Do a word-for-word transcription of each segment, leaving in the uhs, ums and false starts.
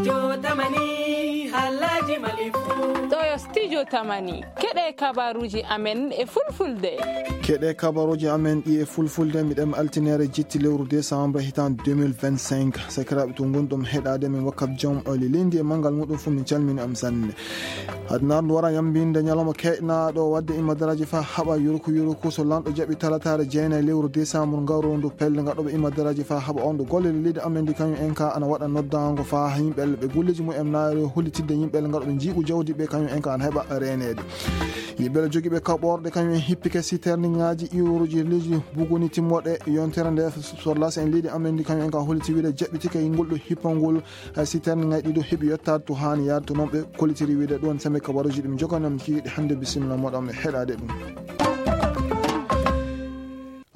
Jotamani, halaji malifu. Ɗo yo studio Tamani. Keɗe kabaruji amen e fulfulde. Keɗe kabaruji amen ɗi e fulfulde, miɗen altinere jitti lewru décembre hitan deux mille vingt-cinq. Sakiraaɓe to ngonɗon heɗaade men wakkati jom o lilindi e manngal muɗum fof, min calmini am sanne. Adnardu wara yambinde ñalawma keɗnaaɗo wadde imadaraji fa haɓa yuruku yuruku so lanɗo jaɓi talataare jeenayi lewru décembre ngarondu pelle ngaɗoɓe imadaraji fa haɓa on ɗo golle leydi amen ndi kañum en ka ana waɗa noddango fa yimɓe ɓe golleji mumen naari hollitidde yimɓe ngaɗoɓe jiiɓu jawdi ɓe kañum en ka ana heɓa reeneede. Yimɓe jogiiɓe kaɓorɗe kañum en hippike siterningaji iwruji leydi buguni timmoɗe yontere nde sorlas en leydi amen ndi kañum en ka holliti wiide jaɓɓitike ngol ɗo hippangol. Hay si termingaji ɗiɗo heɓi yettaade to haani yaade, to noon ɓe kollitiri wiide ɗoon seme kabaruji ɗi min joganii on kiiɗi hannde. Bisimilla moɗon e heɗaade ɗum.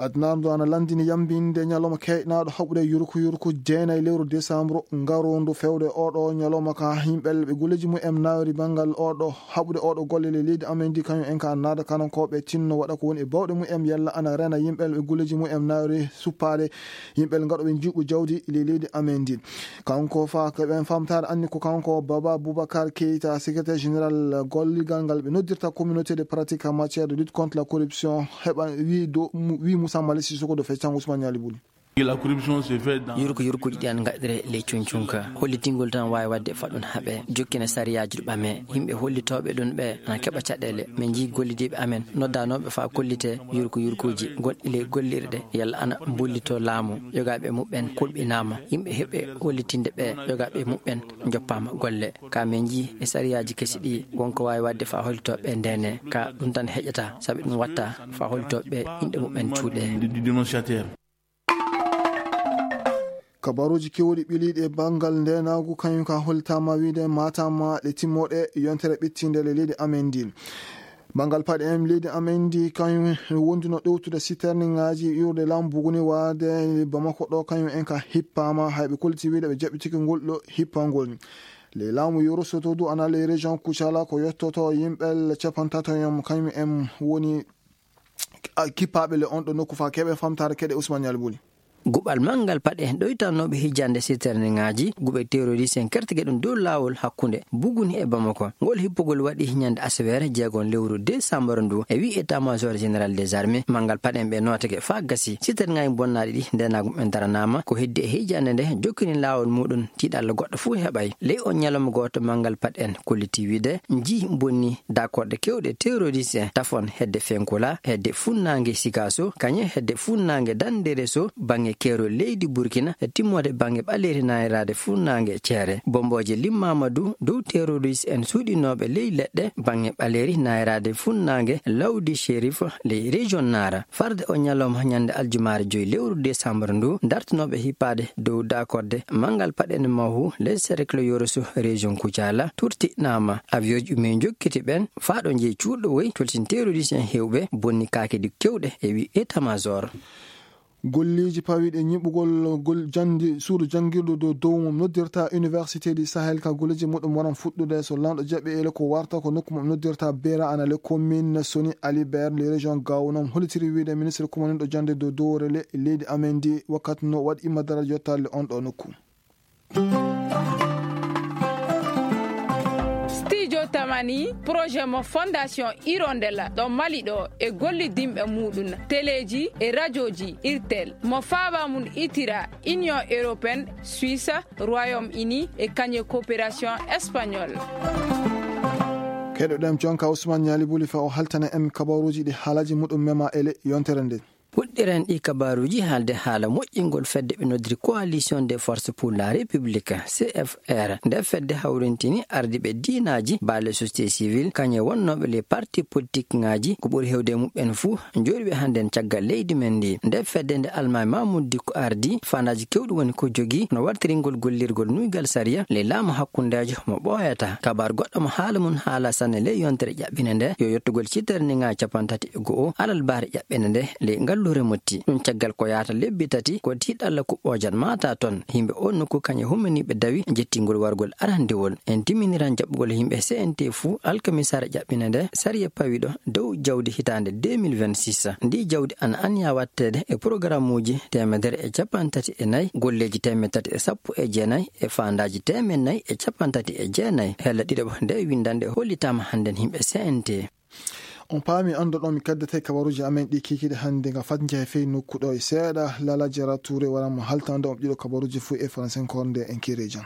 Adnardu ana lanndini yambinde ñalawma keeƴnaaɗo haɓude yurku yurku jeenayi lewru décembre ngarondu fewde oɗo ñalawma ka yimɓe ɓe golleji mumen naawri banngal oɗo haɓude oɗo golle le leydi amen ndi kañum en ka naada kanankooɓe tinno waɗa ko woni e bawɗe mumen yalla ana rena yimɓe ɓe golleji mumen naawri suppaade yimɓe ngaɗoɓe juuɓu jawdi le leydi amen ndi. Kanko fa ko ɓen famtaare anni ko kanko Baba Boubacar Keita, secrétaire général golligal ngal ɓe noddirta communauté de pratique en matière de lutte contre la corruption heɓa wi do wi Moussa Mali Sissoko do feccan Ousmane Niali Bouly. La corruption se fait dans yurko yurkuji ɗi an gaɗire ley cuncunka hollitingol tan wawi wadde faɗɗun haɓe jokkina sariyaji ɗo ɓame yimɓe hollitoɓe ɗum ɓe ana keɓa caɗele min jii gollidiɓe amen noddanooɓe faa kollitee yurku-yurkuuji gonɗi ley gollirɗe, yalla ana mbullitoo laamu, yogaaɓe muɓɓen kulɓinaama, yimɓe heɓe hollitinde ɓe yogaaɓe muɓɓen njoppaama golle. Ka min njii e sariyaaji kesi ɗii, won ko waawi waɗde faa hollitooɓe ɓee ndeenee, ka ɗum tan heƴata, sabi ɗum waɗta faa hollitooɓe ɓee inɗe muɓɓen cuuɗee. Kabaruuji keewɗi ɓiliiɗi e banngal ndeenaagu, kañum ka hollitaama wiyde maataama ɗe timmooɗe yontere ɓittiinde le leydi amen ndin. Banngal paɗe en leydi amen ndi, kañum wonduno ɗowtude siterningaaji iwrude laamu buguni waade Bamako ɗo, kañum en ka hippaama, hay ɓe kolliti wiyde ɓe jaɓɓitiki ngol ɗo hippangol. Le laamu Yoro Soto du ana le région Kucala ko yottoto yimɓe le capantato yom, kañum en woni a, kippaaɓe le on ɗo nokku faa keɓe famtaare keɗe Ousmane Niali Bouly. Guɓal manngal paɗe ɗoytannooɓe hijjande siterningaaji, guɓe terroriste en kertike ɗum dow laawol hakkunde Buguni e Bamako. Ngol hippugol waɗi ñande aseweere jeegon lewru décembre ndu e wi état major général des armées. Manngal paɗe en ɓe nootake faa gasi. Siterningaaji bonnaaɗi ɗi ndeenaagu en daranaama ko heddi e hijjande nde jokkini laawol muɗum tiiɗalla goɗɗo fuu heɓay. Ley on ñalawma gooto manngal paɗe en kolliti wiide njii bonni dakorde kewɗe terroriste en tafon hedde Fenkola, hedde funnaange Sikaso, kañe hedde funnaange Dandereso, baŋŋe keerol leydi Burkina, e timmoode baŋŋe ɓaleeri naayiraade funnaange Ceere. Bombooje limmaama du dow terroriste en suuɗinooɓe ley leɗɗe baŋŋe ɓaleeri naayiraade funnaange Lawdi Sherif ley région Nara. Farde o ñalawma ñande aljumaare joy lewru décembre ndu, dartinooɓe hippaade dow dakorde manngal paɗe en mahu le cercle Yoroso région Kucala turtiɗnaama. Avion ji min jokkiti ɓen faa ɗo jeyi cuuɗo woy toltin terroriste en heewɓe bonni kaakidi kewɗe e wi état major. Golleeji pawiiɗe ñiɓugol gol jandi suudu janngirdu dow dow mum noddirta Université du Sahel ka golleeji muɗum waran fuɗɗude so lanɗo jaɓi ele ko warta ko nokku mum noddirta Bera ana le commune Soni Alibert le région Gao noon hollitiri wiide ministre kumaninɗo jande dow dowre le leydi amen ndi wakkati no waɗi imma dara jottalle on ɗo nokku. Studio Tamani, projet mo Fondation Hirondella ɗo Mali ɗo e gollidinɓe muɗum, teleji e rajoji Irtel, mo faaba mum itira Union Européenne, Suisse, Royaume-Uni e kañe coopération espagnole. Keɗoɗen jonka Ousmane Niali Bouly fa o haltana en kabaruji ɗi haalaji muɗum mema ele yontere nde. Puɗɗiren ɗi kabaruuji haalde haala moƴƴingol fedde ɓe noddiri Coalition des Forces pour la République, C F R. Nde fedde hawrintini ardiiɓe diinaaji, baale société civile, kañe wonnooɓe les partis politiques ŋaaji, ko ɓuri heewde e muɓɓen fuu, njooɗiiɓe hannden caggal leydi men ndi. Nde fedde nde Almaami Mamoudou Dicko ardi, faandaaji keewɗi woni ko jogii, no wartiringol gollirgol nuygal sariya, le laamu hakkundeejo mo ɓooyata. Kabaar goɗɗo mo haala mum haala sanne ley yontere ƴaɓɓinde nde, yo yettugol citere ni ŋaa capanɗe tati e go'o, alarbaare ƴaɓɓinde nde, ley ngalluure Motti. Ɗum caggal ko yahata lebbi tati ko tiiɗalla kuɓɓoojat maata toon. Yimɓe oo nokku kañe hummaniiɓe dawi jettingol wargol arandewol. En timminiran jaɓɓugol yimɓe C N T fuu alkamisaare ƴaɓɓinde nde sariya pawiɗo dow jawdi hitaande deux mille vingt-six. Ndi jawdi ana anniya watteede e programmuuji teemedere e capanɗe tati e nayi, golleeji teemedde tati e sappo e jeenayi e faandaaji teemedde nayi e capanɗe tati e jeenayi. Hella ɗiɗaɓo nde winndannde hollitaama hannden yimɓe C N T. On paami, anndo ɗon mi kaddete kabaruuji amen ɗi kiikiiɗe hannde nga fat njehe fey nokku ɗo e seeɗa. Lala Jara Touré wara mo haltande on ɗiɗo kabaruuji fuu e faransenkoore nde en kiire jam.